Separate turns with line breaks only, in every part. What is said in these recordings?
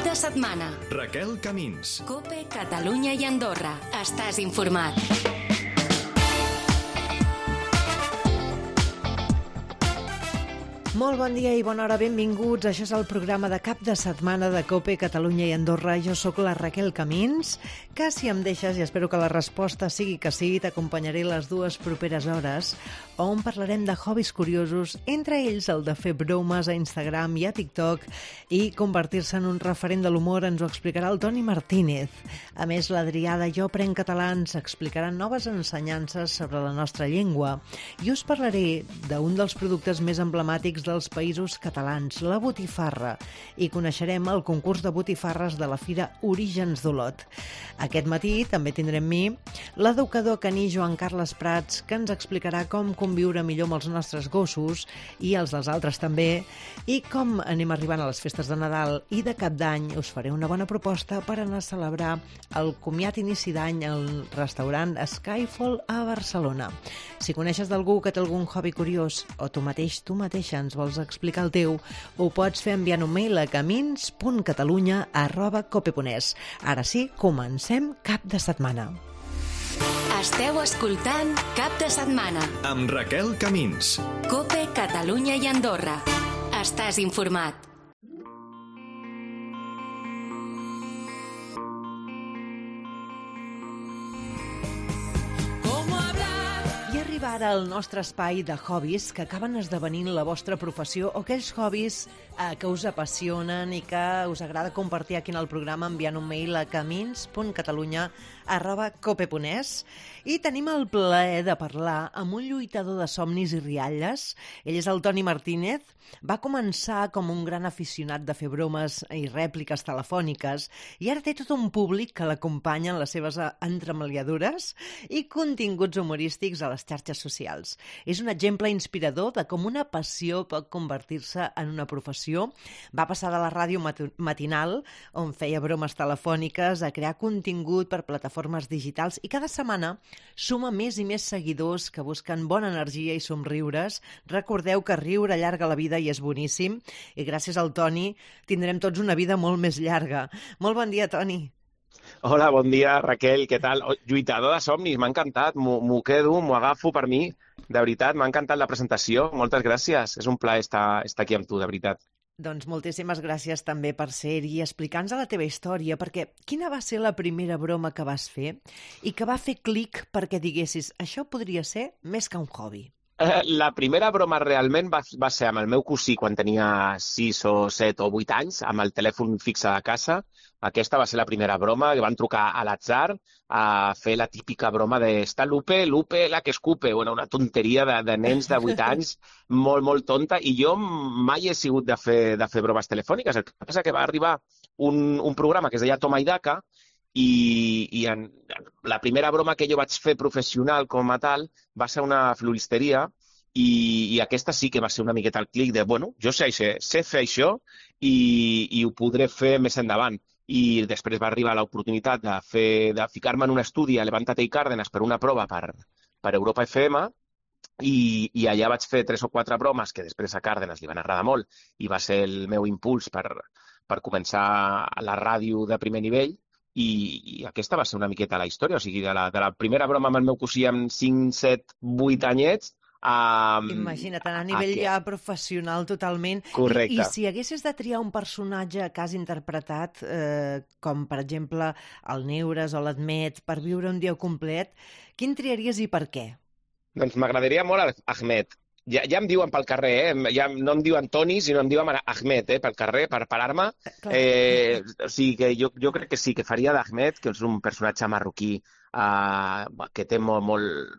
de setmana.
Raquel Camins.
COPE, Catalunya i Andorra. Estàs informat.
Molt bon dia i bona hora, benvinguts. Això és el programa de cap de setmana de COPE, Catalunya i Andorra. Jo sóc la Raquel Camins, que si em deixes, i espero que la resposta sigui que sí, t'acompanyaré les dues properes hores, on parlarem de hobbies curiosos, entre ells el de fer bromes a Instagram i a TikTok i convertir-se en un referent de l'humor ens ho explicarà el Toni Martínez. A més, l'Adrià de Jo Prenc Català ens explicarà noves ensenyances sobre la nostra llengua i us parlaré d'un dels productes més emblemàtics dels països catalans, la botifarra, i coneixerem el concurs de botifarres de la Fira Orígens d'Olot. Aquest matí també tindrem mi l'educador caní Joan Carles Prats, que ens explicarà com conviure millor amb els nostres gossos i els dels altres també, i com anem arribant a les festes de Nadal i de Cap d'Any. Us faré una bona proposta per anar a celebrar el comiat inici d'any al restaurant Skyfall a Barcelona. Si coneixes d'algú que té algun hobby curiós o tu mateixa ens vols explicar el teu, ho pots fer enviant un mail a camins.catalunya@cope.es. Ara sí, comencem cap de setmana.
Esteu escoltant Cap de Setmana.
Amb Raquel Camins.
COPE, Catalunya i Andorra. Estàs informat.
Ara al nostre espai de hobbies que acaben esdevenint la vostra professió o aquells hobbies que us apassionen i que us agrada compartir aquí en el programa enviant un mail a camins.catalunya@cope.es. I tenim el plaer de parlar amb un lluitador de somnis i rialles. Ell és el Toni Martínez. Va començar com un gran aficionat de fer bromes i rèpliques telefòniques i ara té tot un públic que l'acompanya en les seves entremaliadures i continguts humorístics a les xarxes socials. És un exemple inspirador de com una passió pot convertir-se en una professió. Va passar de la ràdio matinal, on feia bromes telefòniques, a crear contingut per plataformes digitals i cada setmana suma més i més seguidors que busquen bona energia i somriures. Recordeu que riure allarga la vida i és boníssim, i gràcies al Toni tindrem tots una vida molt més llarga. Molt bon dia, Toni.
Hola, bon dia, Raquel, què tal? Lluitador de somnis, m'ha encantat, m'ho quedo, m'ho agafo per mi, de veritat, m'ha encantat la presentació, moltes gràcies, és un plaer estar aquí amb tu, de veritat.
Doncs moltíssimes gràcies també per ser-hi i explicar-nos la teva història, perquè quina va ser la primera broma que vas fer i que va fer clic perquè diguessis això podria ser més que un hobby?
La primera broma realment va ser amb el meu cosí quan tenia 6 o 7 o 8 anys, amb el telèfon fixe de casa. Aquesta va ser la primera broma, que van trucar a l'atzar a fer la típica broma de «Està Lupe, la que escupe». Bueno, una tonteria de nens de 8 anys, molt, molt tonta, i jo mai he sigut de fer bromes telefòniques. El que passa que va arribar un programa que es deia Toma i Daca, i la primera broma que jo vaig fer professional com a tal va ser una floristeria i aquesta sí que va ser una miqueta el clic de, bueno, jo sé fer això i ho podré fer més endavant. I després va arribar l'oportunitat de ficar-me en un estudi a Levántate i Cárdenas per una prova per Europa FM i allà vaig fer 3 o 4 bromes que després a Cárdenas li van agradar molt i va ser el meu impuls per començar a la ràdio de primer nivell. I aquesta va ser una miqueta la història, o sigui, de la primera broma amb el meu cosí amb 5, 7, 8 anyets.
Imagina't, a nivell ja professional totalment.
Correcte.
I si haguessis de triar un personatge que has interpretat, com per exemple el Neures o l'Admet, per viure un dia complet, quin triaries i per què?
Doncs m'agradaria molt Ahmed. Ja em diuen pel carrer, ja no em diuen Toni, sinó em diuen Ahmed, pel carrer, per parar-me. O sigui que jo crec que sí, que faria d'Ahmed, que és un personatge marroquí que té molt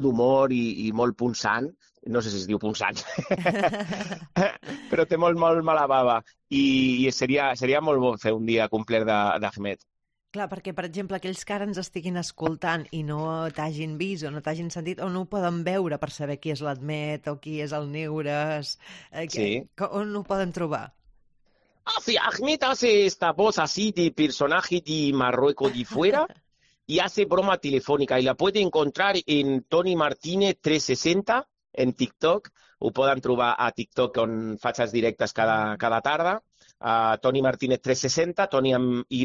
d'humor i molt punxant. No sé si es diu punxant, però té molt mala bava. I seria molt bo fer un dia complet d'Ahmed.
Clar, perquè, per exemple, aquells que ara ens estiguin escoltant i no t'hagin vist o no t'hagin sentit o no ho poden veure per saber qui és l'Admet o qui és el Neures, on ho poden trobar?
Sí, Ahmed hace esta voz así de personaje de Marruecos de fuera y hace broma telefónica y la puede encontrar en Toni Martínez 360 en TikTok. Ho poden trobar a TikTok, on faig els directes cada tarda. Toni Martínez 360, Toni amb Y,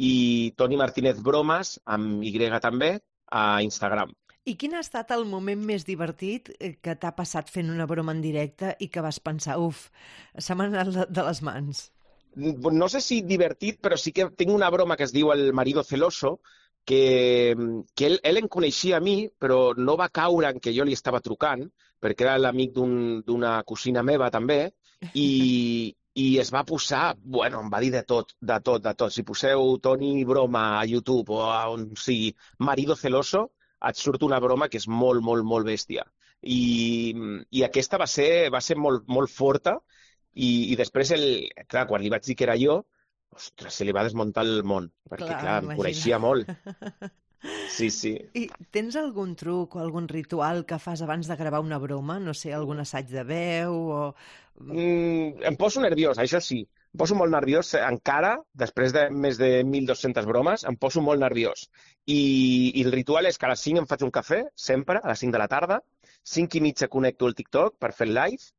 i Toni Martínez Bromes, amb Y també, a Instagram.
I quin ha estat el moment més divertit que t'ha passat fent una broma en directe i que vas pensar, se m'ha anat de les mans?
No sé si divertit, però sí que tinc una broma que es diu El marido celoso, que ell em coneixia a mi, però no va caure en què jo li estava trucant, perquè era l'amic d'una cosina meva també, i es va posar, em va dir de tot. Si poseu Toni Broma a YouTube o a on sigui, marido celoso, et surt una broma que és molt, molt, molt bèstia. I aquesta va ser molt, molt forta, i després, clar, quan li vaig dir que era jo, ostres, se li va desmuntar el món, perquè, clar, em coneixia molt. Sí.
I tens algun truc o algun ritual que fas abans de gravar una broma? No sé, algun assaig de veu o...
Em poso nerviós, això sí. Em poso molt nerviós encara, després de més de 1.200 bromes, em poso molt nerviós. I el ritual és que a les 5 em faig un cafè, sempre, a les 5 de la tarda, 5:30 connecto el TikTok per fer el live,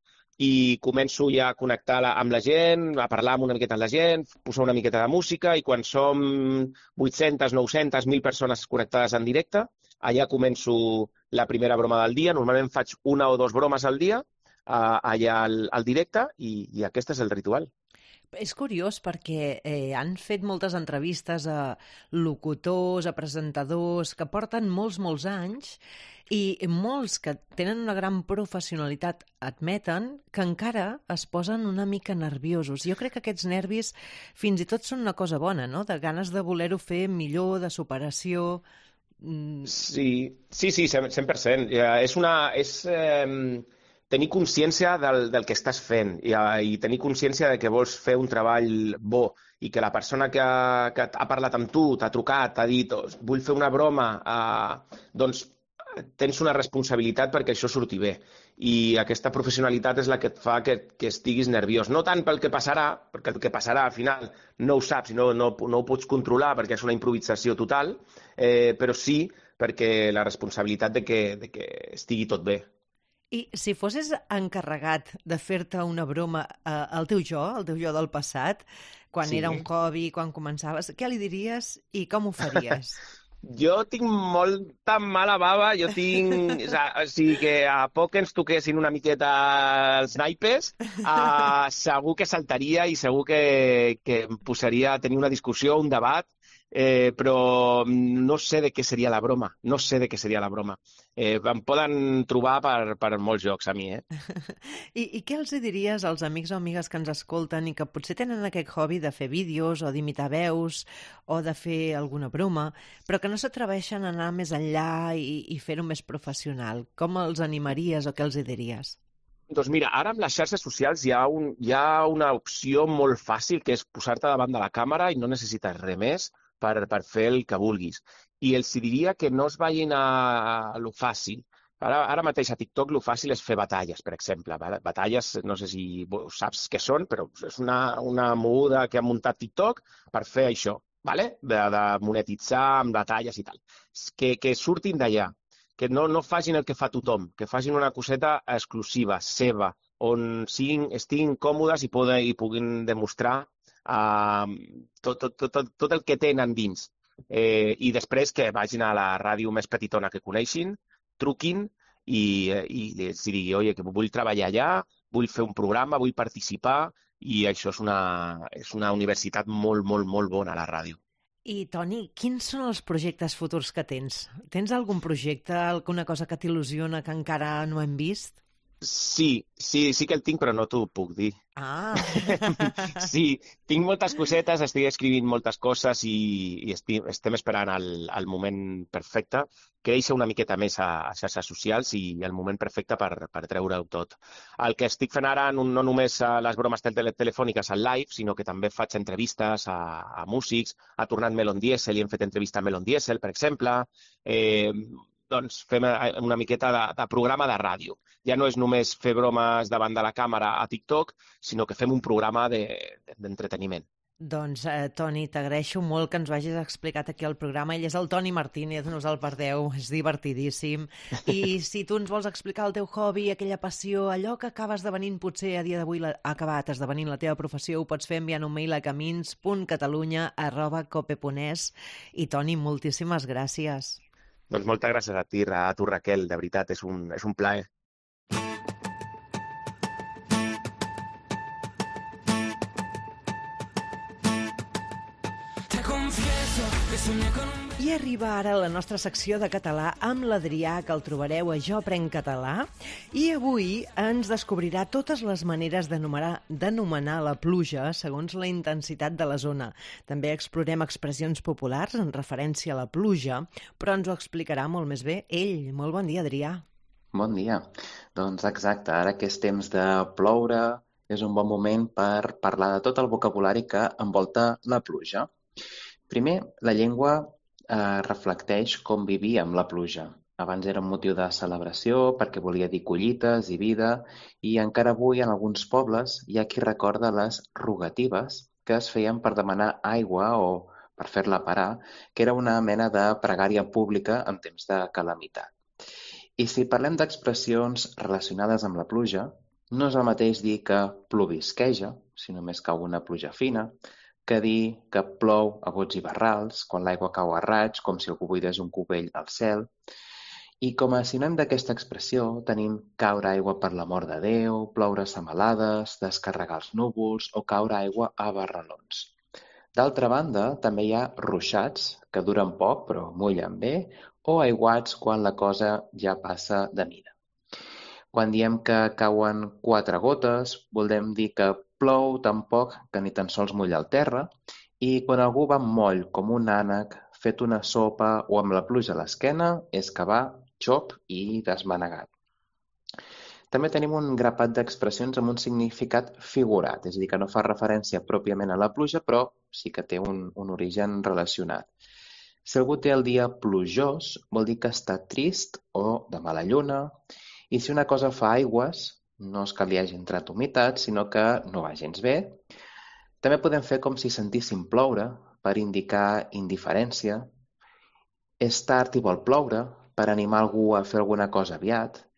i començo ja a connectar amb la gent, a parlar una miqueta amb la gent, posar una miqueta de música, i quan som 800, 900, 1.000 persones connectades en directe, allà començo la primera broma del dia. Normalment faig 1 o 2 bromes al dia, allà al directe, i aquest és el ritual.
És curiós perquè han fet moltes entrevistes a locutors, a presentadors que porten molts anys, i molts que tenen una gran professionalitat admeten que encara es posen una mica nerviosos. Jo crec que aquests nervis fins i tot són una cosa bona, no? De ganes de voler-ho fer millor, de superació...
Sí, 100%. És tenir consciència del que estàs fent, i tenir consciència de que vols fer un treball bo, i que la persona que ha parlat amb tu, t'ha trucat, t'ha dit vull fer una broma, doncs tens una responsabilitat perquè això surti bé. I aquesta professionalitat és la que et fa que estiguis nerviós. No tant pel que passarà, perquè el que passarà al final no ho saps i no ho pots controlar perquè és una improvisació total, però sí perquè la responsabilitat de que estigui tot bé.
I si fossis encarregat de fer-te una broma al teu jo del passat, quan era un hobby, quan començaves, què li diries i com ho faries?
Jo tinc molta mala bava, o sigui que a poc que ens toquessin una miqueta els naipes, segur que saltaria i segur que em posaria a tenir una discussió, un debat, però no sé de què seria la broma, Em poden trobar per molts jocs a mi,
I què els diries als amics o amigues que ens escolten i que potser tenen aquest hobby de fer vídeos o d'imitar veus o de fer alguna broma, però que no s'atreveixen a anar més enllà i fer-ho més professional? Com els animaries o què els diries?
Doncs mira, ara amb les xarxes socials hi ha una opció molt fàcil, que és posar-te davant de la càmera i no necessites res més per fer el que vulguis. I els diria que no es vagin a lo fàcil. Ara mateix a TikTok lo fàcil és fer batalles, per exemple. Batalles, no sé si saps què són, però és una moguda que ha muntat TikTok per fer això, de monetitzar amb batalles i tal. Que surtin d'allà, que no facin el que fa tothom, que facin una coseta exclusiva, seva, on estiguin còmodes i puguin demostrar tot el que tenen dins. I després que vagin a la ràdio més petitona que coneixin, truquin i els digui, oye, que vull treballar allà, vull fer un programa, vull participar, i això és una universitat molt, molt, molt bona, la ràdio.
I, Toni, quins són els projectes futurs que tens? Tens algun projecte, alguna cosa que t'il·lusiona que encara no hem vist?
Sí que el tinc, però no t'ho puc dir. Sí, tinc moltes cosetes, estic escrivint moltes coses i estem esperant el moment perfecte, créixer una miqueta més a xarxes socials i el moment perfecte per treure-ho tot. El que estic fent ara, no només a les bromes telefòniques al live, sinó que també faig entrevistes a músics, ha tornat Melon Diesel i hem fet entrevista a Melon Diesel, per exemple. Doncs fem una miqueta de programa de ràdio. Ja no és només fer bromes davant de la càmera a TikTok, sinó que fem un programa d'entreteniment.
Doncs, Toni, t'agraeixo molt que ens ho hagis explicat aquí al programa. Ell és el Toni Martínez, no us el perdeu, és divertidíssim. I si tu ens vols explicar el teu hobby, aquella passió, allò que acaba esdevenint, potser a dia d'avui ha acabat esdevenint la teva professió, ho pots fer enviant un mail a camins.catalunya@cope.es. I, Toni, moltíssimes gràcies.
Doncs moltes gràcies a ti, a tu, Raquel. De veritat, és un plaer.
I arriba ara la nostra secció de català amb l'Adrià, que el trobareu a Jo Aprenc Català, i avui ens descobrirà totes les maneres d'anomenar la pluja segons la intensitat de la zona. També explorem expressions populars en referència a la pluja, però ens ho explicarà molt més bé ell. Molt bon dia, Adrià.
Bon dia. Doncs exacte, ara que és temps de ploure, és un bon moment per parlar de tot el vocabulari que envolta la pluja. Primer, la llengua reflecteix com vivíem la pluja. Abans era un motiu de celebració perquè volia dir collites i vida, i encara avui en alguns pobles hi ha qui recorda les rogatives que es feien per demanar aigua o per fer-la parar, que era una mena de pregària pública en temps de calamitat. I si parlem d'expressions relacionades amb la pluja, no és el mateix dir que plovisqueja, si només cau una pluja fina, que dir que plou a bots i barrals, quan l'aigua cau a raig, com si algú buidés un cubell al cel. I com a sinònim d'aquesta expressió tenim caure aigua per l'amor de Déu, ploure semalades, descarregar els núvols o caure aigua a barralons. D'altra banda, també hi ha ruixats, que duren poc però mullen bé, o aiguats quan la cosa ja passa de mida. Quan diem que cauen 4 gotes, volem dir que plou tan poc que ni tan sols mulla el terra, i quan algú va moll com un ànec, fet una sopa o amb la pluja a l'esquena, és que va xop i desmanegat. També tenim un grapat d'expressions amb un significat figurat, és a dir, que no fa referència pròpiament a la pluja, però sí que té un origen relacionat. Si algú té el dia plujós, vol dir que està trist o de mala lluna, i si una cosa fa aigües, no és que li hagi entrat humitat, sinó que no va gens bé. També podem fer com si sentíssim ploure, per indicar indiferència. És tard i vol ploure, per animar algú a fer alguna cosa aviat.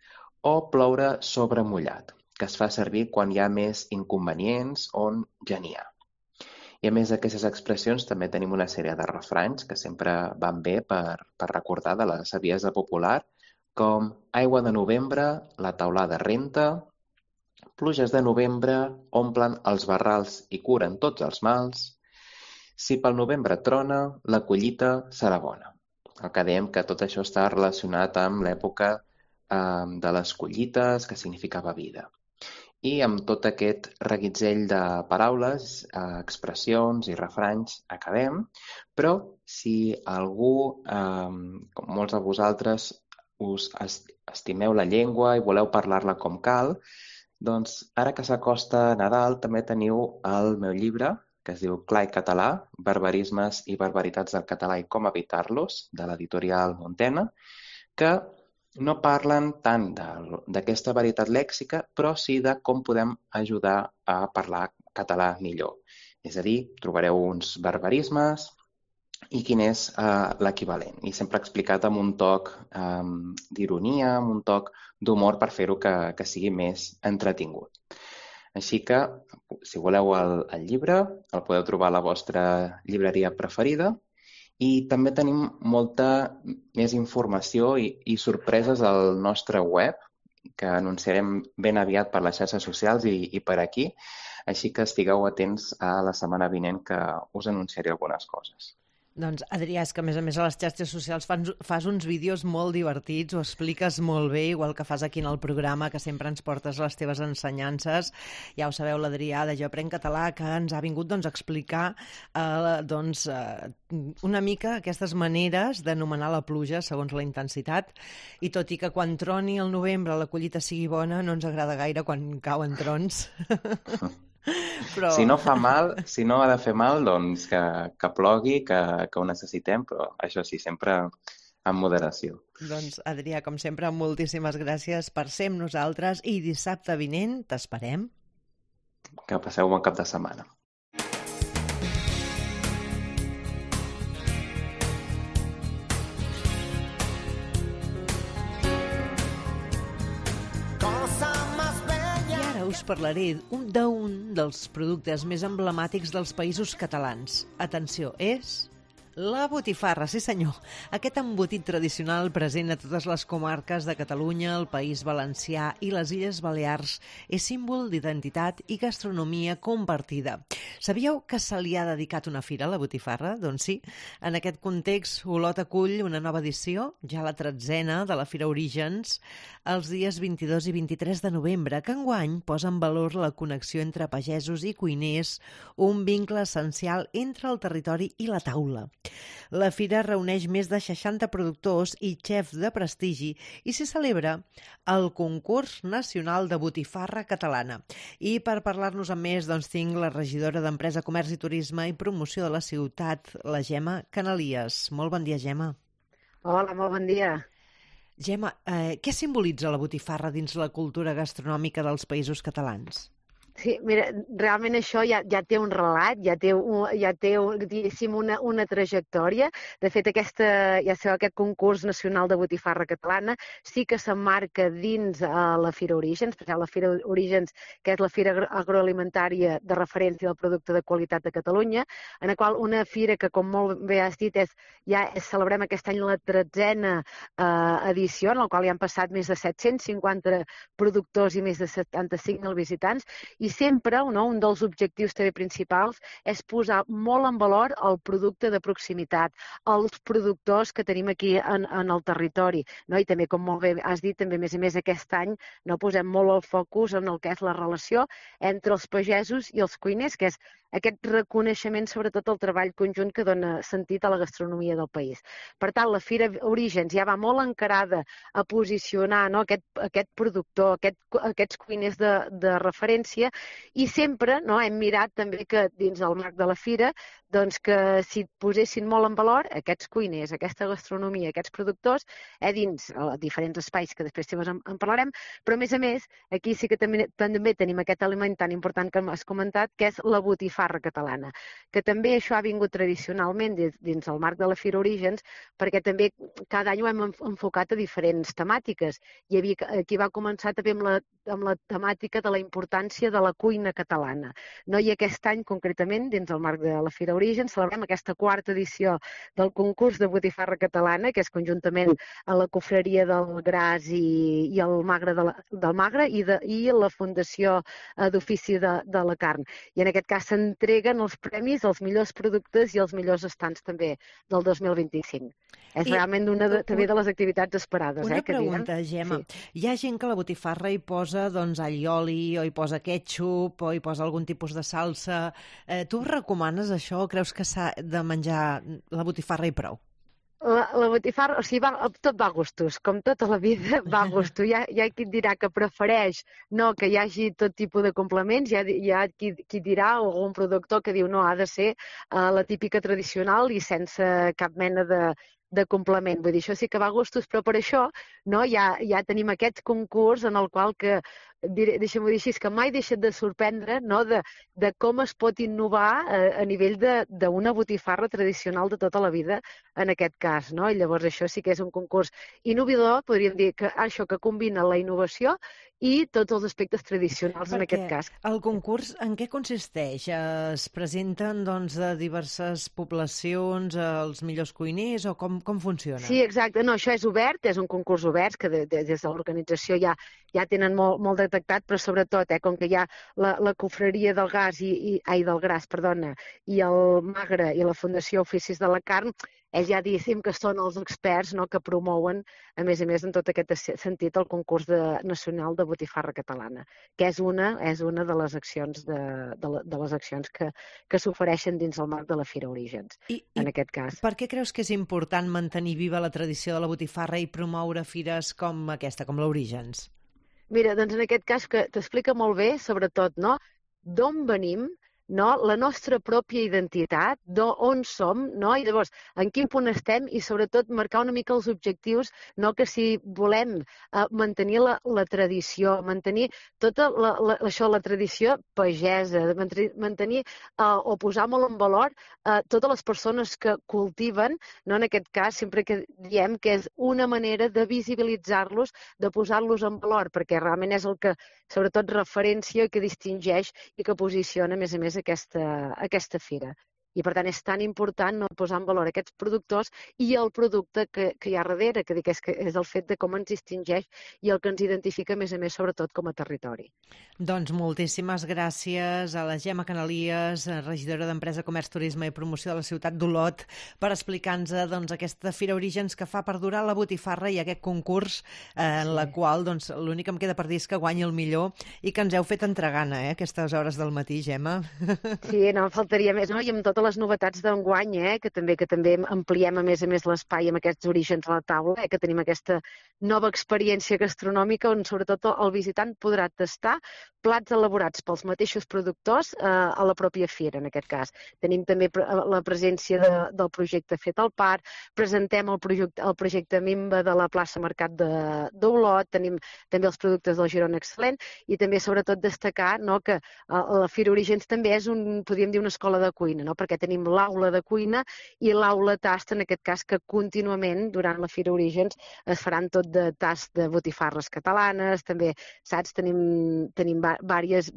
O ploure sobre mullat, que es fa servir quan hi ha més inconvenients on ja n'hi ha. I a més d'aquestes expressions també tenim una sèrie de refranys que sempre van bé per recordar de la saviesa popular, com aigua de novembre, la teulada renta, pluges de novembre omplen els barrals i curen tots els mals, si pel novembre trona, la collita serà bona. El que dèiem que tot això està relacionat amb l'època de les collites, que significava vida. I amb tot aquest reguitzell de paraules, expressions i refranys acabem, però si algú, com molts de vosaltres, us estimeu la llengua i voleu parlar-la com cal, doncs ara que s'acosta Nadal també teniu el meu llibre, que es diu Clar i català, barbarismes i barbaritats del català i com evitar-los, de l'editorial Montena, que no parlen tant d'aquesta varietat lèxica, però sí de com podem ajudar a parlar català millor. És a dir, trobareu uns barbarismes i quin és l'equivalent. I sempre explicat amb un toc d'ironia, amb un toc d'humor per fer-ho que sigui més entretingut. Així que, si voleu el llibre, el podeu trobar a la vostra llibreria preferida, i també tenim molta més informació i sorpreses al nostre web, que anunciarem ben aviat per les xarxes socials i per aquí, així que estigueu atents a la setmana vinent que us anunciaré algunes coses.
Doncs, Adrià, és que a més a les xarxes socials fas uns vídeos molt divertits, ho expliques molt bé, igual que fas aquí en el programa, que sempre ens portes les teves ensenyances. Ja ho sabeu, l'Adrià de Jo Aprenc Català, que ens ha vingut a explicar una mica aquestes maneres d'anomenar la pluja segons la intensitat, i tot i que quan troni el novembre la collita sigui bona, no ens agrada gaire quan cauen trons. Però...
Si no fa mal, si no ha de fer mal, doncs que plogui, que ho necessitem, però això sí, sempre amb moderació.
Doncs, Adrià, com sempre, moltíssimes gràcies per ser amb nosaltres i dissabte vinent t'esperem.
Que passeu un bon cap de setmana.
parlaré d'un dels productes més emblemàtics dels països catalans. Atenció, és la botifarra, sí senyor. Aquest embotit tradicional present a totes les comarques de Catalunya, el País Valencià i les Illes Balears és símbol d'identitat i gastronomia compartida. Sabíeu que se li ha dedicat una fira a la botifarra? Doncs sí. En aquest context, Olot acull una nova edició, ja la 13a, de la Fira Orígens, els dies 22 i 23 de novembre, que enguany posa en valor la connexió entre pagesos i cuiners, un vincle essencial entre el territori i la taula. La fira reuneix més de 60 productors i xefs de prestigi i s'hi celebra el concurs nacional de botifarra catalana. I per parlar-nos amb més, doncs, tinc la regidora d'Empresa, Comerç i Turisme i Promoció de la ciutat, la Gemma Canalies. Molt bon dia, Gemma.
Hola, molt bon dia.
Gemma, què simbolitza la botifarra dins la cultura gastronòmica dels països catalans?
Sí, mira, realment això ja té un relat, ja té diguéssim, una trajectòria. De fet, aquest concurs nacional de botifarra catalana sí que s'emmarca dins la Fira Orígens, perquè la Fira Orígens, que és la fira agroalimentària de referència del producte de qualitat de Catalunya, en la qual una fira que, com molt bé has dit, celebrem aquest any la 13a edició, en la qual hi han passat més de 750 productors i més de 75.000 visitants, i sempre un dels objectius també principals és posar molt en valor el producte de proximitat, els productors que tenim aquí en el territori. No? I també, com molt bé has dit, també a més aquest any posem molt el focus en el que és la relació entre els pagesos i els cuiners, que és aquest reconeixement, sobretot el treball conjunt que dona sentit a la gastronomia del país. Per tant, la Fira Orígens ja va molt encarada a posicionar aquest productor, aquests cuiners de referència, i sempre hem mirat també que dins el marc de la Fira que s'hi posessin molt en valor aquests cuiners, aquesta gastronomia, aquests productors, dins diferents espais que després en parlarem, però a més, aquí sí que també tenim aquest element tan important que has comentat, que és la botifarra catalana, que també això ha vingut tradicionalment dins el marc de la Fira Orígens, perquè també cada any ho hem enfocat a diferents temàtiques. Aquí va començar també amb la temàtica de la importància de la cuina catalana. I aquest any, concretament, dins el marc de la Fira Orígens, celebrem aquesta 4a edició del concurs de botifarra catalana, que és conjuntament a la Cofreria del Gras i el Magre del Magre i la Fundació d'Ofici de la Carn. I en aquest cas s'entreguen els premis als millors productes i als millors estants també del 2025. És realment una també de les activitats esperades.
Una pregunta, Gemma. Sí. Hi ha gent que la botifarra hi posa allioli, o hi posa ketchup, o hi posa algun tipus de salsa. Tu recomanes això o creus que s'ha de menjar la botifarra i prou?
La botifarra, tot va a gustos, com tota la vida va a gustos. Hi ha qui dirà que prefereix que hi hagi tot tipus de complements, hi ha qui dirà, o algun productor que diu no, ha de ser la típica tradicional i sense cap mena de complement. Vull dir, això sí que va a gustos, però per això ja tenim aquest concurs en el qual que, deixem-ho dir així, que mai deixa de sorprendre de com es pot innovar a nivell d'una botifarra tradicional de tota la vida, en aquest cas. I llavors això sí que és un concurs innovador, podríem dir que això que combina la innovació i tots els aspectes tradicionals en aquest cas.
El concurs en què consisteix? Es presenten de diverses poblacions els millors cuiners o com funciona?
Sí, exacte. No, això és obert, és un concurs obert que des de l'organització ja tenen molt detectat, però sobretot, com que hi ha la Cofreria del Gras i el Magre i la Fundació Oficis de la Carn, ja diguéssim que són els experts que promouen, a més, en tot aquest sentit, el concurs nacional de botifarra catalana, que és una de les accions que s'ofereixen dins el marc de la Fira Orígens, en aquest cas.
Per què creus que és important mantenir viva la tradició de la botifarra i promoure fires com aquesta, com l'Orígens?
Mira, doncs en aquest cas que t'explica molt bé, sobretot, d'on venim, no? La nostra pròpia identitat, d'on som, no? I llavors en quin punt estem i sobretot marcar una mica els objectius, no? Que si volem mantenir la tradició, mantenir tota la tradició pagesa, mantenir o posar molt en valor totes les persones que cultiven, no? En aquest cas sempre que diem que és una manera de visibilitzar-los, de posar-los en valor, perquè realment és el que sobretot referència, que distingeix i que posiciona a més aquesta fira. I, per tant, és tan important no posar en valor aquests productors i el producte que hi ha darrere, que és el fet de com ens distingeix i el que ens identifica, a més, sobretot com a territori.
Doncs moltíssimes gràcies a la Gemma Canalies, regidora d'Empresa, Comerç, Turisme i Promoció de la ciutat d'Olot, per explicar-nos aquesta Fira Orígens que fa perdurar la botifarra i aquest concurs en la qual l'únic que em queda per dir és que guanyi el millor i que ens heu fet entregant a aquestes hores del matí, Gemma.
Sí, no em faltaria més, no? I amb totes les novetats d'enguany, que també ampliem a més l'espai amb aquests orígens a la taula, que tenim aquesta nova experiència gastronòmica on sobretot el visitant podrà tastar plats elaborats pels mateixos productors a la pròpia fira, en aquest cas. Tenim també la presència del projecte Fet al Parc, presentem el projecte Mimba de la plaça Mercat d'Olot, tenim també els productes del Girona Excel·lent i també sobretot destacar que la Fira Orígens també és podríem dir una escola de cuina, perquè tenim l'aula de cuina i l'aula tast, en aquest cas, que contínuament durant la Fira Orígens es faran tot de tast de botifarres catalanes, també, saps, tenim diverses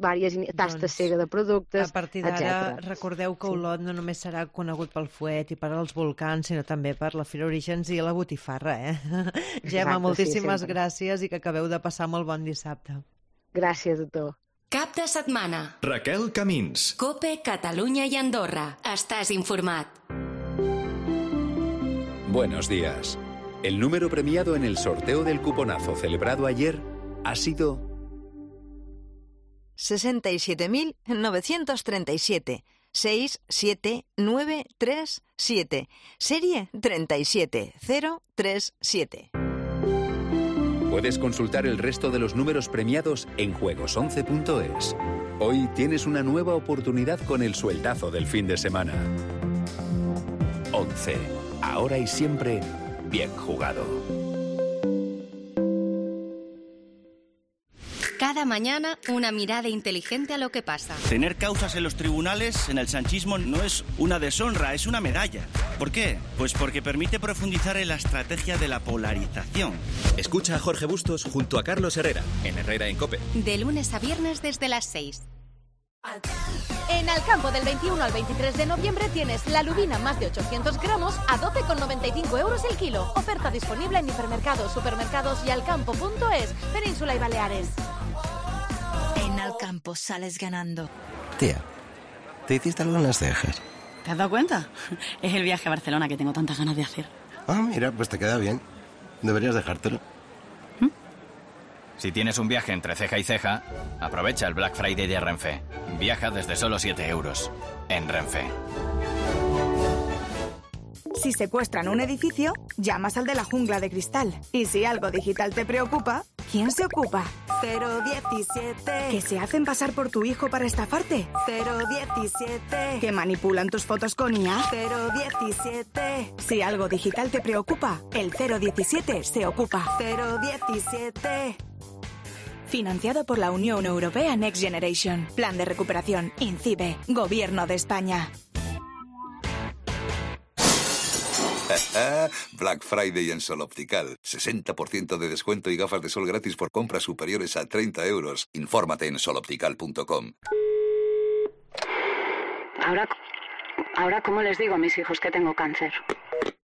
tastes cega de productes, etc.
A partir d'ara, recordeu que Olot no només serà conegut pel fuet i per als volcans, sinó també per la Fira Orígens i la botifarra, Gemma, moltíssimes gràcies i que acabeu de passar molt bon dissabte.
Gràcies a tu.
Cap de setmana.
Raquel Camins.
COPE, Catalunya y Andorra. Estás informat.
Buenos días. El número premiado en el sorteo del cuponazo celebrado ayer ha sido
67.937. 67937. Serie 37037.
Puedes consultar el resto de los números premiados en juegos11.es. Hoy tienes una nueva oportunidad con el sueldazo del fin de semana. 11. Ahora y siempre, bien jugado.
Cada mañana, una mirada inteligente a lo que pasa.
Tener causas en los tribunales en el sanchismo no es una deshonra, es una medalla. ¿Por qué? Pues porque permite profundizar en la estrategia de la polarización.
Escucha a Jorge Bustos junto a Carlos Herrera, en Herrera en COPE.
De lunes a viernes desde las 6.
En Alcampo del 21 al 23 de noviembre tienes la lubina más de 800 gramos a 12,95 euros el kilo. Oferta disponible en hipermercados, supermercados y alcampo.es, Península y Baleares.
En Alcampo sales ganando.
Tía, ¿te hiciste algo en las cejas?
¿Te has dado cuenta? Es el viaje a Barcelona que tengo tantas ganas de hacer.
Ah, mira, pues te queda bien. Deberías dejártelo.
Si tienes un viaje entre ceja y ceja, aprovecha el Black Friday de Renfe. Viaja desde solo 7 euros en Renfe.
Si secuestran un edificio, llamas al de la jungla de cristal. Y si algo digital te preocupa, ¿quién se ocupa? 017. ¿Que se hacen pasar por tu hijo para estafarte? 017. ¿Que manipulan tus fotos con IA? 017. Si algo digital te preocupa, el 017 se ocupa. 017. Financiado por la Unión Europea Next Generation. Plan de recuperación. INCIBE. Gobierno de España.
Black Friday en Sol Optical. 60% de descuento y gafas de sol gratis por compras superiores a 30 euros. Infórmate en soloptical.com.
Ahora, ¿cómo les digo a mis hijos que tengo cáncer?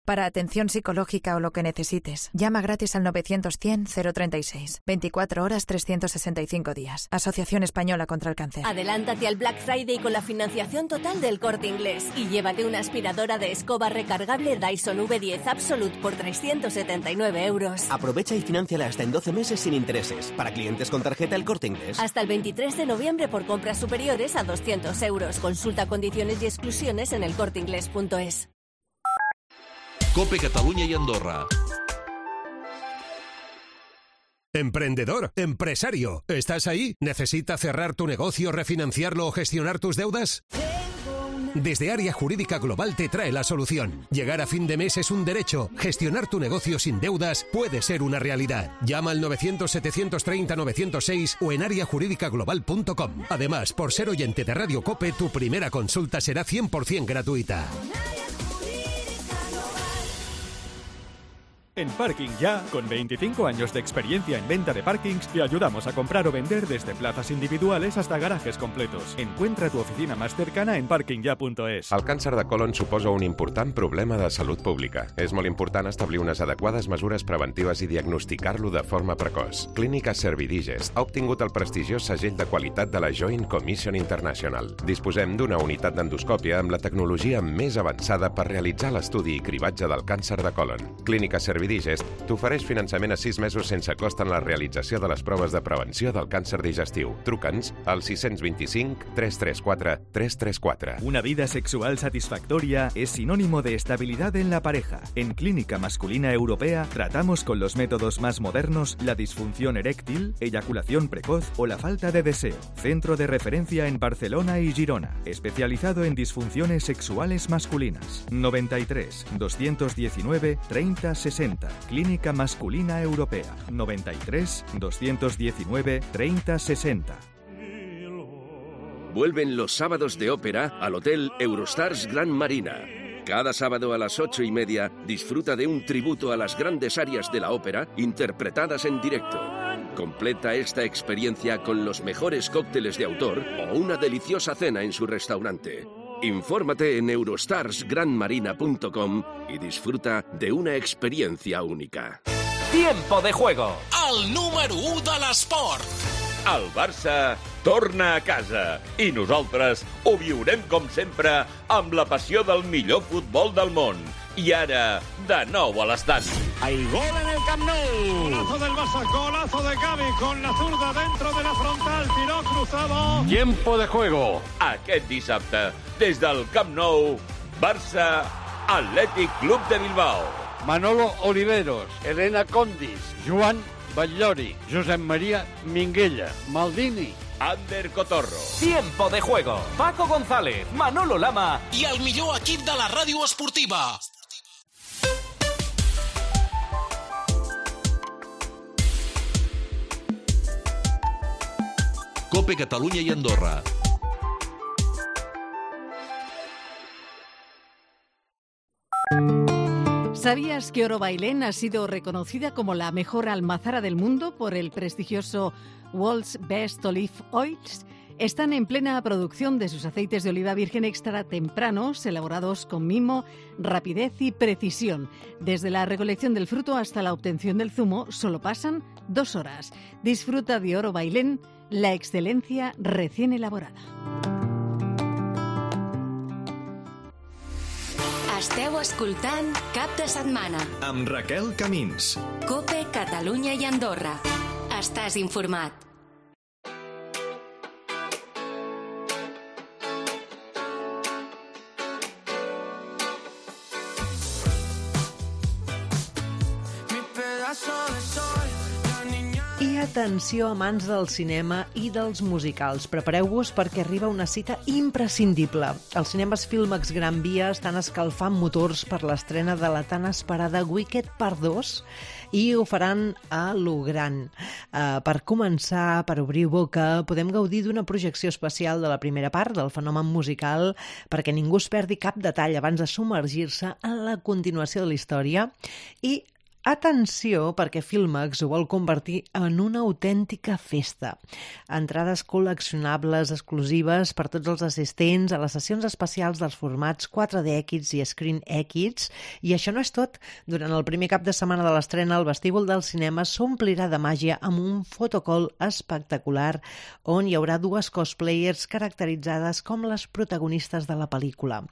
Para atención psicológica o lo que necesites, llama gratis al 900-100-036. 24 horas, 365 días. Asociación Española contra el Cáncer.
Adelántate al Black Friday con la financiación total del Corte Inglés y llévate una aspiradora de escoba recargable Dyson V10 Absolute por 379 euros.
Aprovecha y financiala hasta en 12 meses sin intereses. Para clientes con tarjeta El Corte Inglés.
Hasta el 23 de noviembre por compras superiores a 200 euros. Consulta condiciones y exclusiones en elcorteinglés.es.
COPE Catalunya i Andorra. Emprendedor, empresario, ¿estás ahí? ¿Necesitas cerrar tu negocio, refinanciarlo o gestionar tus deudas? Desde Área Jurídica Global te trae la solución. Llegar a fin de mes es un derecho. Gestionar tu negocio sin deudas puede ser una realidad. Llama al 900-730-906 o en areajuridicaglobal.com. Además, por ser oyente de Radio COPE, tu primera consulta será 100% gratuita.
En Parking Ya, con 25 años de experiencia en venta de parkings, te ayudamos a comprar o vender desde plazas individuales hasta garajes completos. Encuentra tu oficina más cercana en parkingya.es.
El càncer de colon suposa un important problema de salut pública. És molt important establir unes adequades mesures preventives i diagnosticar-lo de forma precoç. Clínica Servidigest ha obtingut el prestigiós segell de qualitat de la Joint Commission International. Disposem d'una unitat d'endoscòpia amb la tecnologia més avançada per realitzar l'estudi i cribatge del càncer de colon. Clínica Servidigest t'ofereix finançament a 6 mesos sense cost en la realització de les proves de prevenció del càncer digestiu. Truca'ns al 625 334 334.
Una vida sexual satisfactoria es sinónimo de estabilidad en la pareja. En Clínica Masculina Europea tratamos con los métodos más modernos la disfunción eréctil, eyaculación precoz o la falta de deseo. Centro de referencia en Barcelona y Girona, especializado en disfunciones sexuales masculinas. 93 219 30 60. Clínica Masculina Europea. 93 219 30 60.
Vuelven los sábados de ópera al Hotel Eurostars Gran Marina. Cada sábado a las 8:30 disfruta de un tributo a las grandes arias de la ópera interpretadas en directo. Completa esta experiencia con los mejores cócteles de autor o una deliciosa cena en su restaurante. Infórmate en eurostarsgranmarina.com y disfruta de una experiencia única.
Tiempo de juego. El número 1 de l'esport.
El Barça torna a casa i nosaltres ho viurem com sempre amb la passió del millor futbol del món. I ara, de nou a l'estadi.
Hay gol en el Camp Nou. Golazo del Barça, golazo de Gavi con la zurda dentro de la frontal, tiró cruzado.
Tiempo de juego. Aquest dissabte, des del Camp Nou, Barça, Atlètic Club de Bilbao.
Manolo Oliveros, Elena Condis, Joan Batllori, Josep María Minguella, Maldini,
Ander Cotorro.
Tiempo de juego. Paco González, Manolo Lama i el millor equip de la ràdio esportiva.
COPE Catalunya y Andorra.
¿Sabías que Oro Bailén ha sido reconocida como la mejor almazara del mundo por el prestigioso World's Best Olive Oils? Están en plena producción de sus aceites de oliva virgen extra tempranos, elaborados con mimo, rapidez y precisión. Desde la recolección del fruto hasta la obtención del zumo solo pasan 2 horas. Disfruta de Oro Bailén, la excelencia recién elaborada.
Esteu escoltant Cap de Setmana
amb Raquel Camins.
COPE Catalunya i Andorra. Estàs informat.
I atenció, amants del cinema i dels musicals. Prepareu-vos perquè arriba una cita imprescindible. Els cinemes Filmax Gran Via estan escalfant motors per l'estrena de la tan esperada Wicked Part 2 i ho faran a lo gran. Per començar, per obrir boca, podem gaudir d'una projecció especial de la primera part del fenomen musical perquè ningú es perdi cap detall abans de submergir-se en la continuació de la història. I atenció, perquè Filmax ho vol convertir en una autèntica festa. Entrades col·leccionables exclusives per tots els assistents a les sessions especials dels formats 4DX i ScreenX. I això no és tot. Durant el primer cap de setmana de l'estrena, el vestíbul del cinema s'omplirà de màgia amb un fotocall espectacular on hi haurà 2 cosplayers caracteritzades com les protagonistes de la pel·lícula.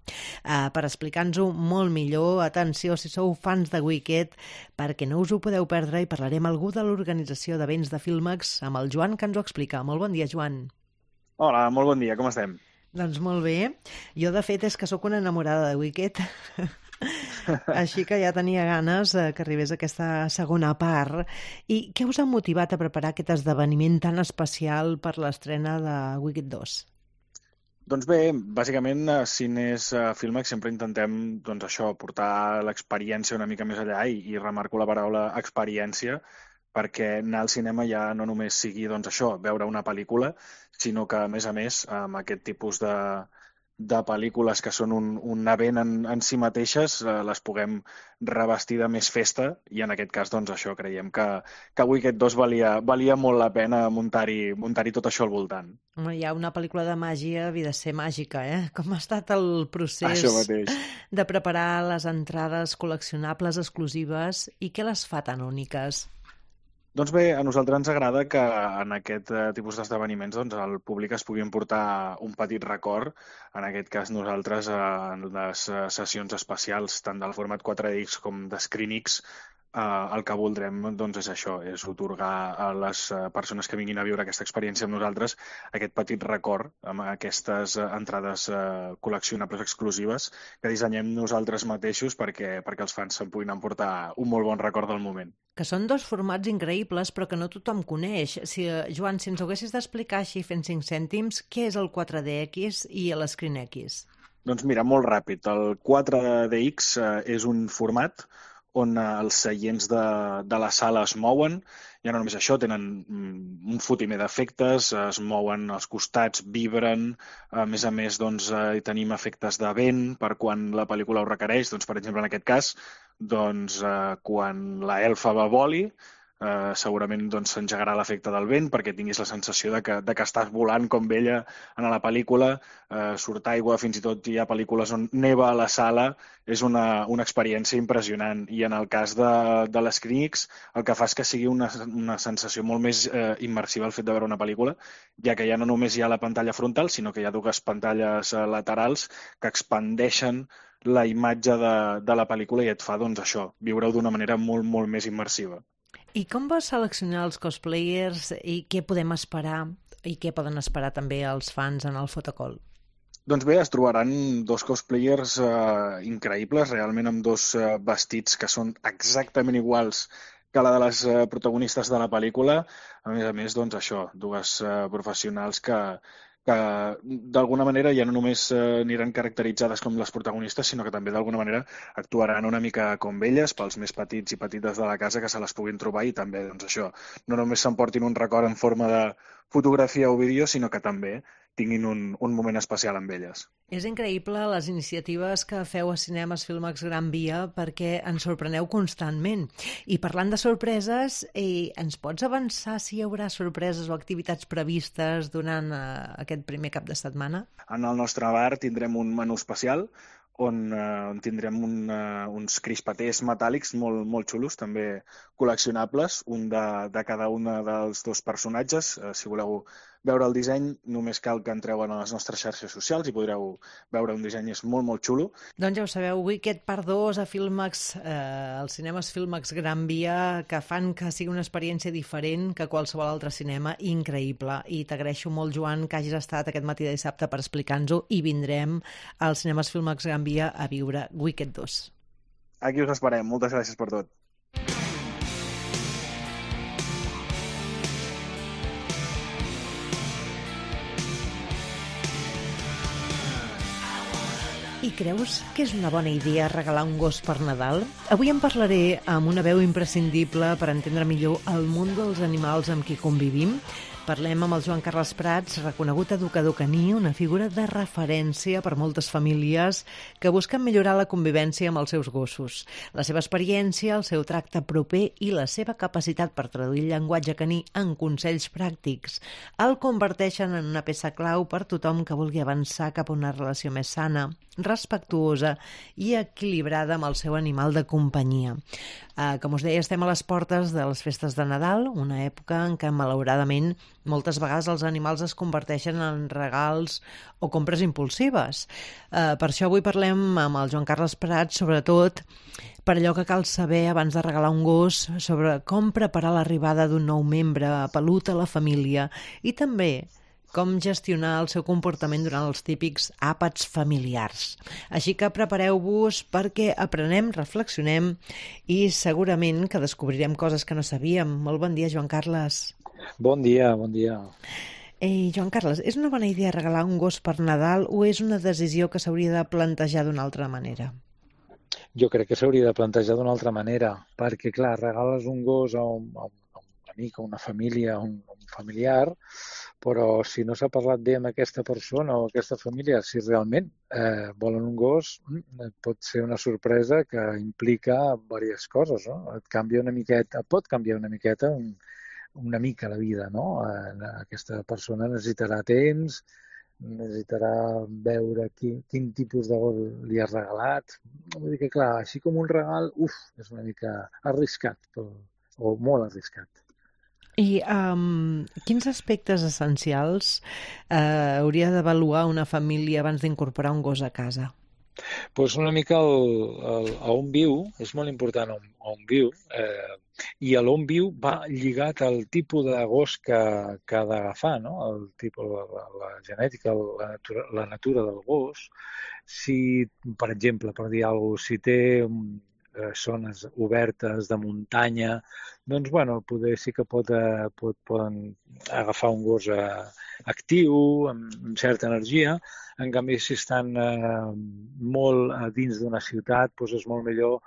Per explicar-nos-ho molt millor, atenció, si sou fans de Wicked, perquè no us ho podeu perdre, i parlarem amb algú de l'organització d'events de Filmax, amb el Joan, que ens ho explica. Molt bon dia, Joan.
Hola, molt bon dia, com estem?
Doncs molt bé. Jo, de fet, és que sóc una enamorada de Wicked. Així que ja tenia ganes que arribés aquesta segona part. I què us ha motivat a preparar aquest esdeveniment tan especial per l'estrena de Wicked 2?
Doncs bé, bàsicament a Cines Filmex sempre intentem portar l'experiència una mica més allà i remarco la paraula experiència, perquè anar al cinema ja no només sigui veure una pel·lícula, sinó que, a més, amb aquest tipus de pel·lícules que són un event en si mateixes, les puguem revestir de més festa, i en aquest cas, creiem que Wicked 2 valia molt la pena muntar-hi tot això al voltant.
Hi ha una pel·lícula de màgia, havia de ser màgica, eh? Com ha estat el procés de preparar les entrades col·leccionables exclusives i què les fa tan úniques?
Doncs bé, a nosaltres ens agrada que en aquest tipus d'esdeveniments el públic es pugui emportar un petit record. En aquest cas, nosaltres, en les sessions especials, tant del format 4DX com de ScreenX, el que voldrem és això, és otorgar a les persones que vinguin a viure aquesta experiència amb nosaltres aquest petit record amb aquestes entrades col·leccionables exclusives que dissenyem nosaltres mateixos perquè els fans se'n puguin emportar un molt bon record del moment.
Que són dos formats increïbles però que no tothom coneix. Joan, si ens haguessis d'explicar així fent 5 cèntims, què és el 4DX i l'ScreenX?
Doncs mira, molt ràpid. El 4DX és un format on els seients de la sala es mouen. Ja no només això, tenen un fotimer d'efectes, es mouen als costats, vibren. A més, hi tenim efectes de vent per quan la pel·lícula ho requereix. Per exemple, en aquest cas, quan la elfa va voli, segurament s'engegarà l'efecte del vent perquè tinguis la sensació de que estàs volant com ella en la pel·lícula, surt aigua, fins i tot hi ha pel·lícules on neva a la sala, és una experiència impressionant. I en el cas de l'ScreenX el que fa és que sigui una sensació molt més immersiva el fet de veure una pel·lícula, ja que ja no només hi ha la pantalla frontal, sinó que hi ha 2 pantalles laterals que expandeixen la imatge de la pel·lícula i et fa, viure-ho d'una manera molt, molt més immersiva.
I com vas seleccionar els cosplayers i què podem esperar i què poden esperar també els fans en el fotocall?
Doncs bé, es trobaran 2 cosplayers increïbles, realment amb 2 vestits que són exactament iguals que la de les protagonistes de la pel·lícula. A més, 2 professionals que d'alguna manera ja no només aniran caracteritzades com les protagonistes, sinó que també d'alguna manera actuaran una mica com elles, pels més petits i petites de la casa que se les puguin trobar i també, no només s'emportin un record en forma de fotografia o vídeo, sinó que també tinguin un moment especial amb elles.
És increïble les iniciatives que feu a Cinemes Filmex Gran Via perquè ens sorpreneu constantment. I parlant de sorpreses, ens pots avançar si hi haurà sorpreses o activitats previstes durant aquest primer cap de setmana?
En el nostre bar tindrem un menú especial on tindrem uns crispaters metàl·lics molt xulos, també col·leccionables, un de cada un dels 2 personatges. Si voleu veure el disseny, només cal que entreu a les nostres xarxes socials i podreu veure un disseny, és molt xulo.
Doncs ja ho sabeu, Wicked Part 2 a Filmex, als Cinemes Filmex Gran Via, que fan que sigui una experiència diferent que qualsevol altre cinema, increïble. I t'agraeixo molt, Joan, que hagis estat aquest matí de dissabte per explicar-nos-ho i vindrem als Cinemes Filmex Gran Via a viure Wicked 2.
Aquí us esperem. Moltes gràcies per tot.
I creus que és una bona idea regalar un gos per Nadal? Avui en parlaré amb una veu imprescindible per entendre millor el món dels animals amb qui convivim. Parlem amb el Joan Carles Prats, reconegut educador caní, una figura de referència per moltes famílies que busquen millorar la convivència amb els seus gossos. La seva experiència, el seu tracte proper i la seva capacitat per traduir el llenguatge caní en consells pràctics el converteixen en una peça clau per tothom que vulgui avançar cap a una relació més sana, respectuosa i equilibrada amb el seu animal de companyia. Com us deia, estem a les portes de les festes de Nadal, una època en què, malauradament, moltes vegades els animals es converteixen en regals o compres impulsives. Per això avui parlem amb el Joan Carles Prats, sobretot per allò que cal saber abans de regalar un gos, sobre com preparar l'arribada d'un nou membre pelut a la família i també com gestionar el seu comportament durant els típics àpats familiars. Així que prepareu-vos perquè aprenem, reflexionem i segurament que descobrirem coses que no sabíem. Molt bon dia, Joan Carles.
Bon dia, bon dia.
Joan Carles, és una bona idea regalar un gos per Nadal o és una decisió que s'hauria de plantejar d'una altra manera?
Jo crec que s'hauria de plantejar d'una altra manera, perquè, clar, regales un gos a un amic, a una família, a un familiar, però si no s'ha parlat bé amb aquesta persona o aquesta família, si realment volen un gos, pot ser una sorpresa que implica diverses coses, no? Et pot canviar una miqueta una mica la vida, no? Aquesta persona necessitarà temps, necessitarà veure quin tipus de gos li has regalat. Vull dir que, clar, així com un regal, és una mica arriscat, o molt arriscat.
I quins aspectes essencials hauria d'avaluar una família abans d'incorporar un gos a casa?
Doncs una mica a on viu, és molt important on viu, i a l'on viu va lligat al tipus de gos que ha d'agafar, no? El tipus, la genètica, la natura del gos. Si, per exemple, per dir alguna cosa, si té zones obertes de muntanya, doncs, bueno, poder sí que poden agafar un gos actiu, amb certa energia. En canvi, si estan molt dins d'una ciutat, doncs és molt millor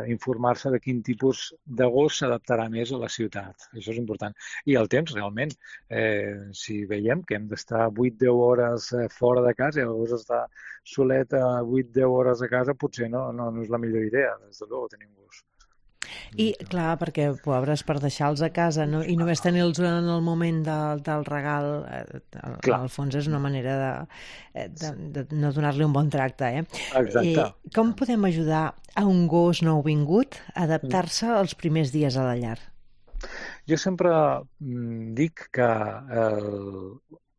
informar-se de quin tipus de gos s'adaptarà més a la ciutat. Això és important. I el temps, realment. Si veiem que hem d'estar 8-10 hores fora de casa i el gos està solet 8-10 hores a casa, potser no és la millor idea, des de luego, tenir un gos.
I, clar, perquè, pobres, per deixar-los a casa i només tenir-los en el moment del regal, al fons és una manera de no donar-li un bon tracte,
Exacte.
Com podem ajudar a un gos nouvingut a adaptar-se als primers dies a la llar?
Jo sempre dic que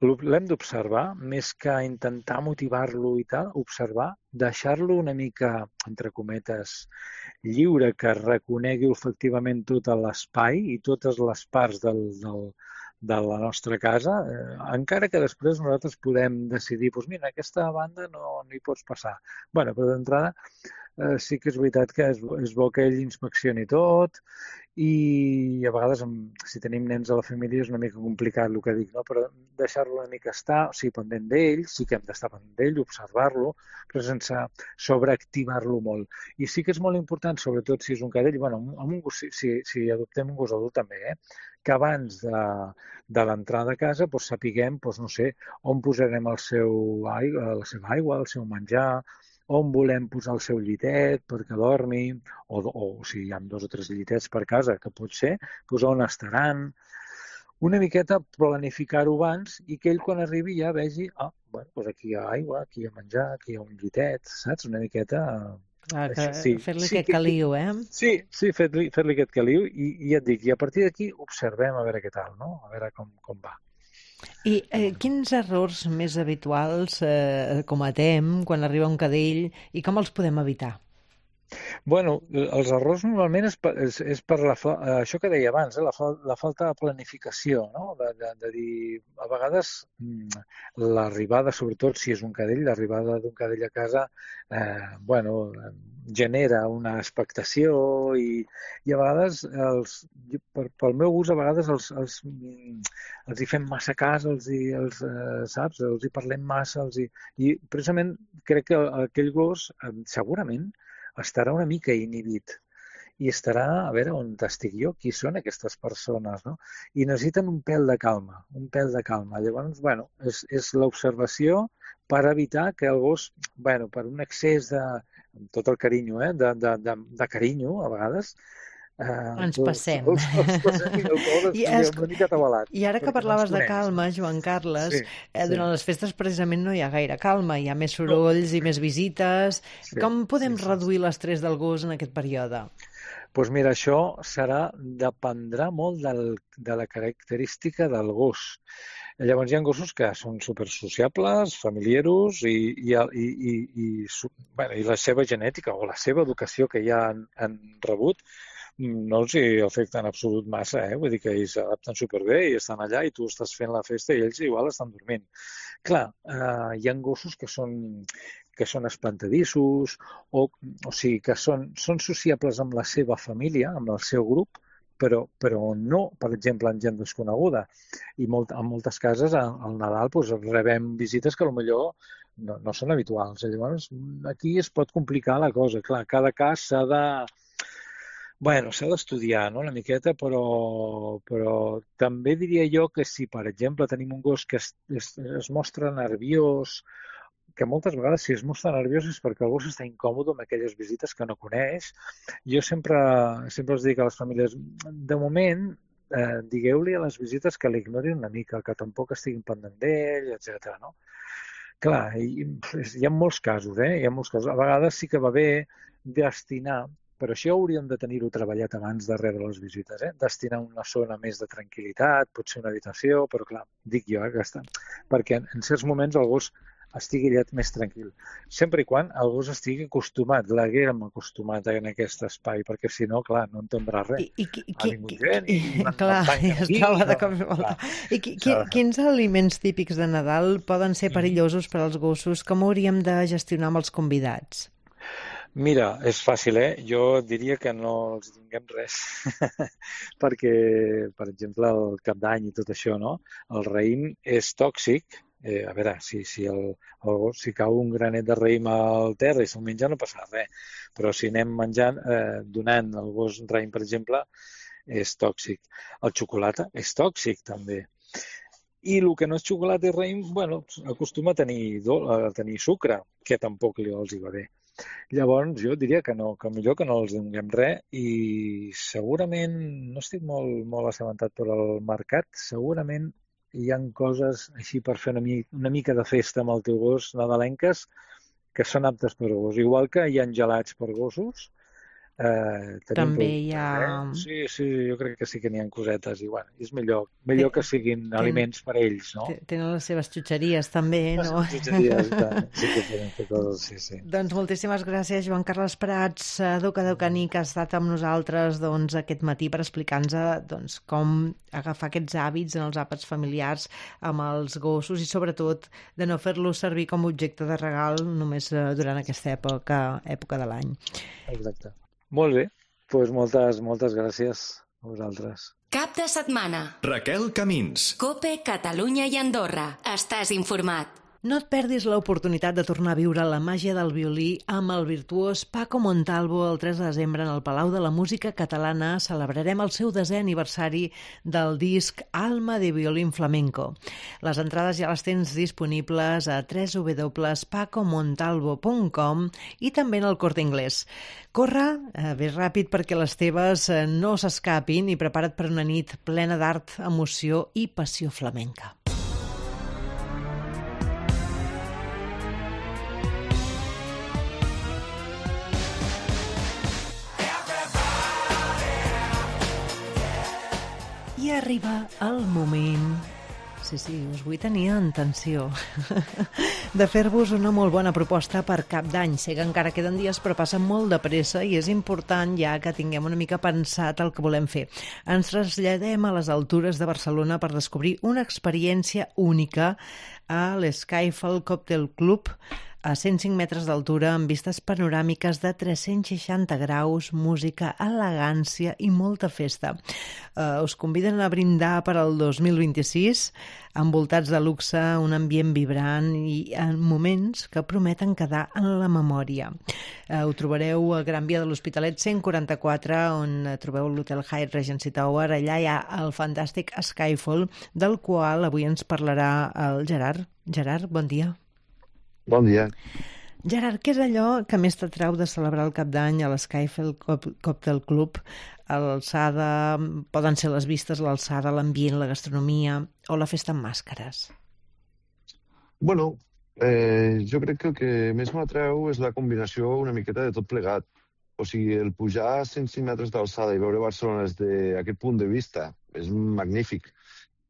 l'hem d'observar, més que intentar motivar-lo i tal, observar, deixar-lo una mica, entre cometes, lliure, que reconegui efectivament tot l'espai i totes les parts de la nostra casa, encara que després nosaltres podem decidir, doncs mira, aquesta banda no hi pots passar. Bé, però d'entrada sí que és veritat que és bo que ell inspeccioni tot i a vegades, si tenim nens a la família, és una mica complicat el que dic, no? Però deixar-lo una mica estar, o sigui, pendent d'ell, sí que hem d'estar pendent d'ell, observar-lo, però sense sobreactivar-lo molt. I sí que és molt important, sobretot si és un cadell, bueno, amb un gos, si adoptem un gos adult també, que abans de l'entrada a casa sapiguem, no sé, on posarem la seva aigua, el seu menjar, on volem posar el seu llitet perquè dormi, o si hi ha 2 o 3 llitets per casa, que pot ser, on estaran. Una miqueta planificar-ho abans i que ell quan arribi ja vegi, aquí hi ha aigua, aquí hi ha menjar, aquí hi ha un llitet, saps? Una miqueta...
Fer-li aquest caliu,
Sí, fer-li aquest caliu i ja et dic, i a partir d'aquí observem a veure què tal, no? A veure com va.
I quins errors més habituals cometem quan arriba un cadell i com els podem evitar?
Bueno, els errors normalment és per això que deia abans, la falta de planificació, no? De dir, a vegades l'arribada, sobretot si és un cadell, l'arribada d'un cadell a casa, genera una expectació i a vegades, pel meu gust, a vegades els hi fem massa cas, saps? Els hi parlem massa, i precisament crec que aquell gos segurament estarà una mica inhibit i estarà, a veure, on estic jo, qui són aquestes persones, no? I necessiten un pèl de calma, Llavors, és l'observació per evitar que el gos, per un excés de, amb tot el carinyo, de carinyo, a vegades,
ens passem.
I
ara que parlaves de calma, Joan Carles, durant les festes precisament no hi ha gaire calma, hi ha més sorolls i més visites. Com podem reduir l'estrès del gos en aquest període?
Doncs mira, això dependrà molt de la característica del gos. Llavors hi ha gossos que són supersociables, familiaros i la seva genètica o la seva educació que ja han rebut no els hi afecta en absolut massa, vull dir que ells s'adapten superbé i estan allà i tu estàs fent la festa i ells igual estan dormint. Clar, hi ha gossos que són espantadissos o sigui, que són sociables amb la seva família, amb el seu grup, però no, per exemple, en gent desconeguda. I en moltes cases, al Nadal, rebem visites que potser no són habituals. Llavors, aquí es pot complicar la cosa. Clar, cada cas s'ha d'estudiar, no?, una miqueta, però també diria jo que si, per exemple, tenim un gos que es mostra nerviós, que moltes vegades si es mostra nerviós és perquè el gos està incòmode amb aquelles visites que no coneix. Jo sempre els dic a les famílies, de moment, digueu-li a les visites que l'ignorin una mica, que tampoc estiguin pendent d'ell, etc. No? Clar, hi ha molts casos, hi ha molts casos. A vegades sí que va bé destinar, però això hauríem de tenir-ho treballat abans de rebre les visites, destinar una zona més de tranquil·litat, potser una habitació, però clar, dic jo, perquè en certs moments el gos estigui més tranquil. Sempre i quan el gos estigui acostumat, l'haguem acostumat en aquest espai, perquè si no, clar, no entendrà res.
I quins aliments típics de Nadal poden ser perillosos per als gossos? Com hauríem de gestionar amb els convidats?
Mira, és fàcil, Jo diria que no els tinguem res, perquè, per exemple, el Cap d'Any i tot això, no? El raïm és tòxic. A veure, si cau un granet de raïm al terra i se'l menja no passa res, però si anem menjant, donant al gos raïm, per exemple, és tòxic. El xocolata és tòxic, també. I el que no és xocolata i raïm, acostuma a tenir sucre, que tampoc els hi va bé. Llavors, jo diria que no, que millor que no els donem res i segurament, no estic molt assabentat per al mercat, segurament hi ha coses així per fer una mica de festa amb el teu gos nadalenques que són aptes per gos. Igual que hi ha gelats per gossos.
També hi ha...
Sí, jo crec que sí que n'hi ha cosetes i és millor que siguin aliments per a ells, no?
Tenen les seves xutxeries també, no?
Les xutxeries, sí que poden fer coses, sí.
Doncs moltíssimes gràcies, Joan Carles Prats, educador caní, que ha estat amb nosaltres aquest matí per explicar-nos com agafar aquests hàbits en els àpats familiars amb els gossos i sobretot de no fer-los servir com a objecte de regal només durant aquesta època de l'any.
Exacte. Molt bé, doncs moltes gràcies a vosaltres.
Cap de setmana.
Raquel Camins.
COPE, Catalunya i Andorra. Estàs informat.
No et perdis l'oportunitat de tornar a viure la màgia del violí amb el virtuós Paco Montalvo el 3 de desembre en el Palau de la Música Catalana. Celebrarem el seu 10è aniversari del disc Alma de Violín Flamenco. Les entrades ja les tens disponibles a www.pacomontalvo.com i també en el Corte Inglés. Corre, ves ràpid perquè les teves no s'escapin i prepara't per una nit plena d'art, emoció i passió flamenca. I arriba el moment, sí, us vull tenir en tensió, de fer-vos una molt bona proposta per Cap d'Any. Sé que encara queden dies, però passen molt de pressa i és important ja que tinguem una mica pensat el que volem fer. Ens traslladem a les altures de Barcelona per descobrir una experiència única a l'Skyfall Cocktail Club, a 105 metres d'altura, amb vistes panoràmiques de 360 graus, música, elegància i molta festa. Us conviden a brindar per al 2026, envoltats de luxe, un ambient vibrant i en moments que prometen quedar en la memòria. Ho trobareu a Gran Via de l'Hospitalet 144, on trobeu l'Hotel Hyatt Regency Tower. Allà hi ha el fantàstic Skyfall, del qual avui ens parlarà el Gerard. Gerard, bon dia.
Bon dia.
Gerard, què és allò que més t'atrau de celebrar el Cap d'Any a l'Skyfall Cocktail Club? A l'alçada, poden ser les vistes, l'alçada, l'ambient, la gastronomia o la festa amb màscares?
Bueno, jo crec que el que més m'atreu és la combinació una miqueta de tot plegat. O sigui, el pujar a 105 metres d'alçada i veure Barcelona des d'aquest punt de vista és magnífic.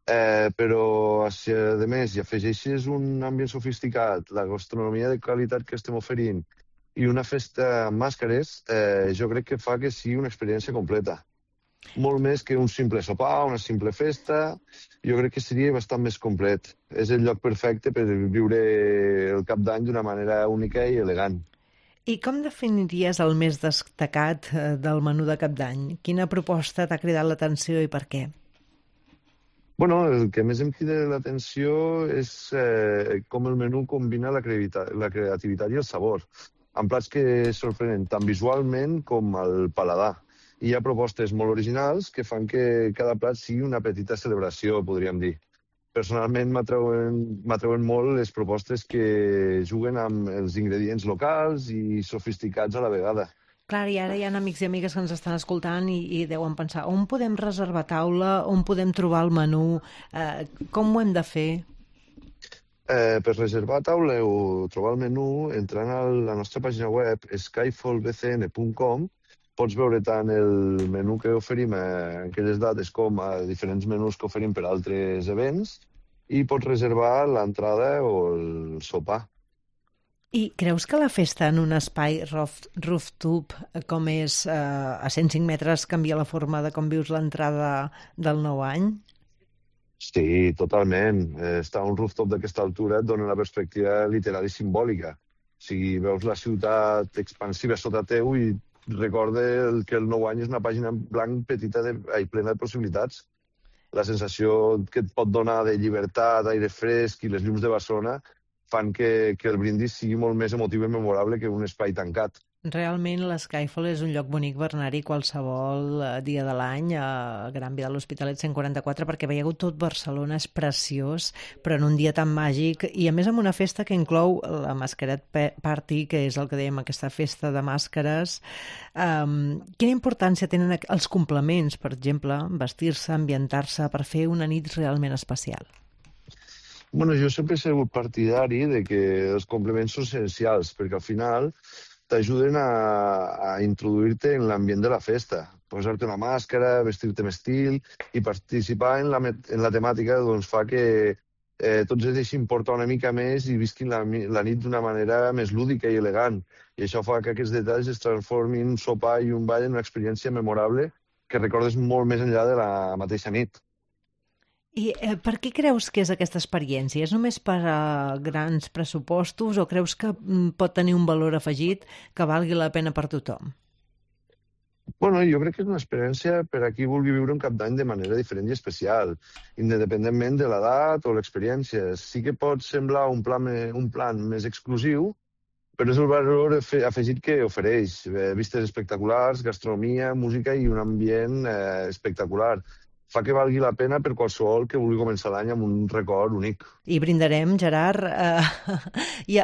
Però, si a més hi afegeixes un ambient sofisticat, la gastronomia de qualitat que estem oferint i una festa amb màscares jo crec que fa que sigui una experiència completa. Molt més que un simple sopar, una simple festa, jo crec que seria bastant més complet. És el lloc perfecte per viure el Cap d'Any d'una manera única i elegant.
I com definiries el més destacat del menú de Cap d'Any? Quina proposta t'ha cridat l'atenció i per què?
Bueno, el que més em crida l'atenció és com el menú combina la creativitat i el sabor, amb plats que sorprenen tant visualment com al paladar. Hi ha propostes molt originals que fan que cada plat sigui una petita celebració, podríem dir. Personalment m'atreuen molt les propostes que juguen amb els ingredients locals i sofisticats a la vegada.
Clar, i ara hi ha amics i amigues que ens estan escoltant i deuen pensar on podem reservar taula, on podem trobar el menú, com ho hem de fer?
Per reservar taula o trobar el menú, entrant a la nostra pàgina web skyfallbcn.com, pots veure tant el menú que oferim en aquelles dates com a diferents menús que oferim per altres events i pots reservar l'entrada o el sopar.
I creus que la festa en un espai rooftop com és a 105 metres canvia la forma de com vius l'entrada del nou any?
Sí, totalment. Estar a un rooftop d'aquesta altura et dona una perspectiva literal i simbòlica. O sigui, veus la ciutat expansiva sota teu i recorda que el nou any és una pàgina en blanc petita i plena de possibilitats. La sensació que et pot donar de llibertat, aire fresc i les llums de Barcelona fan que el brindis sigui molt més emotiu i memorable que un espai tancat.
Realment l'Skyfall és un lloc bonic per anar-hi qualsevol dia de l'any a Gran Via de l'Hospitalet 144 perquè veieu tot Barcelona, és preciós, però en un dia tan màgic i a més amb una festa que inclou la Masqueret Party, que és el que dèiem, aquesta festa de màscares. Quina importància tenen els complements, per exemple, vestir-se, ambientar-se per fer una nit realment especial?
Bueno, jo sempre he sigut partidari de que els complements són essencials perquè al final t'ajuden a introduir-te en l'ambient de la festa, posar-te una màscara, vestir-te amb estil i participar en la temàtica doncs, fa que tots es deixin portar una mica més i visquin la nit d'una manera més lúdica i elegant. I això fa que aquests detalls es transformin un sopar i un ball en una experiència memorable que recordes molt més enllà de la mateixa nit.
I per què creus que és aquesta experiència? És només per a grans pressupostos o creus que pot tenir un valor afegit que valgui la pena per tothom?
Bueno, jo crec que és una experiència per a qui vulgui viure un Cap d'Any de manera diferent i especial, independentment de l'edat o l'experiència. Sí que pot semblar un plan més exclusiu, però és el valor afegit que ofereix. Vistes espectaculars, gastronomia, música i un ambient espectacular. Fa que valgui la pena per qualsevol que vulgui començar l'any amb un record únic.
I brindarem, Gerard, i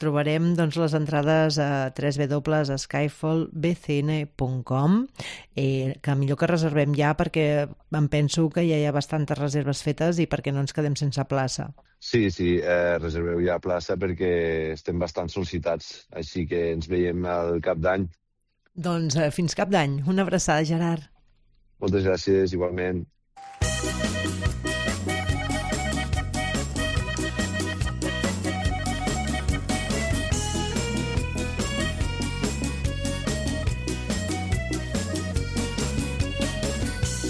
trobarem doncs, les entrades a www.skyfallbcn.com, que millor que reservem ja perquè em penso que ja hi ha bastantes reserves fetes i perquè no ens quedem sense plaça.
Sí, reserveu ja plaça perquè estem bastant sol·licitats, així que ens veiem al Cap d'Any.
Doncs fins Cap d'Any. Una abraçada, Gerard.
Moltes gràcies, igualment.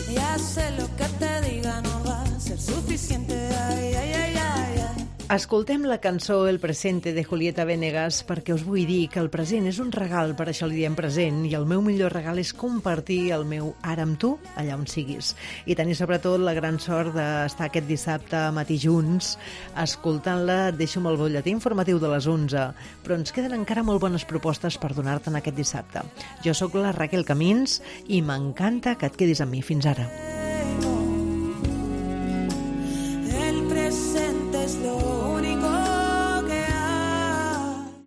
Ya sé lo que te diga no va a ser suficiente. Ay, ay, ay, ay, ay.
Escoltem la cançó El presente de Julieta Venegas perquè us vull dir que el present és un regal, per això li diem present, i el meu millor regal és compartir el meu ara amb tu, allà on siguis. I tenir sobretot la gran sort d'estar aquest dissabte a matí junts, escoltant-la, et deixo amb el butlletí informatiu de les 11, però ens queden encara molt bones propostes per donar-te'n aquest dissabte. Jo sóc la Raquel Camins i m'encanta que et quedis amb mi. Fins ara.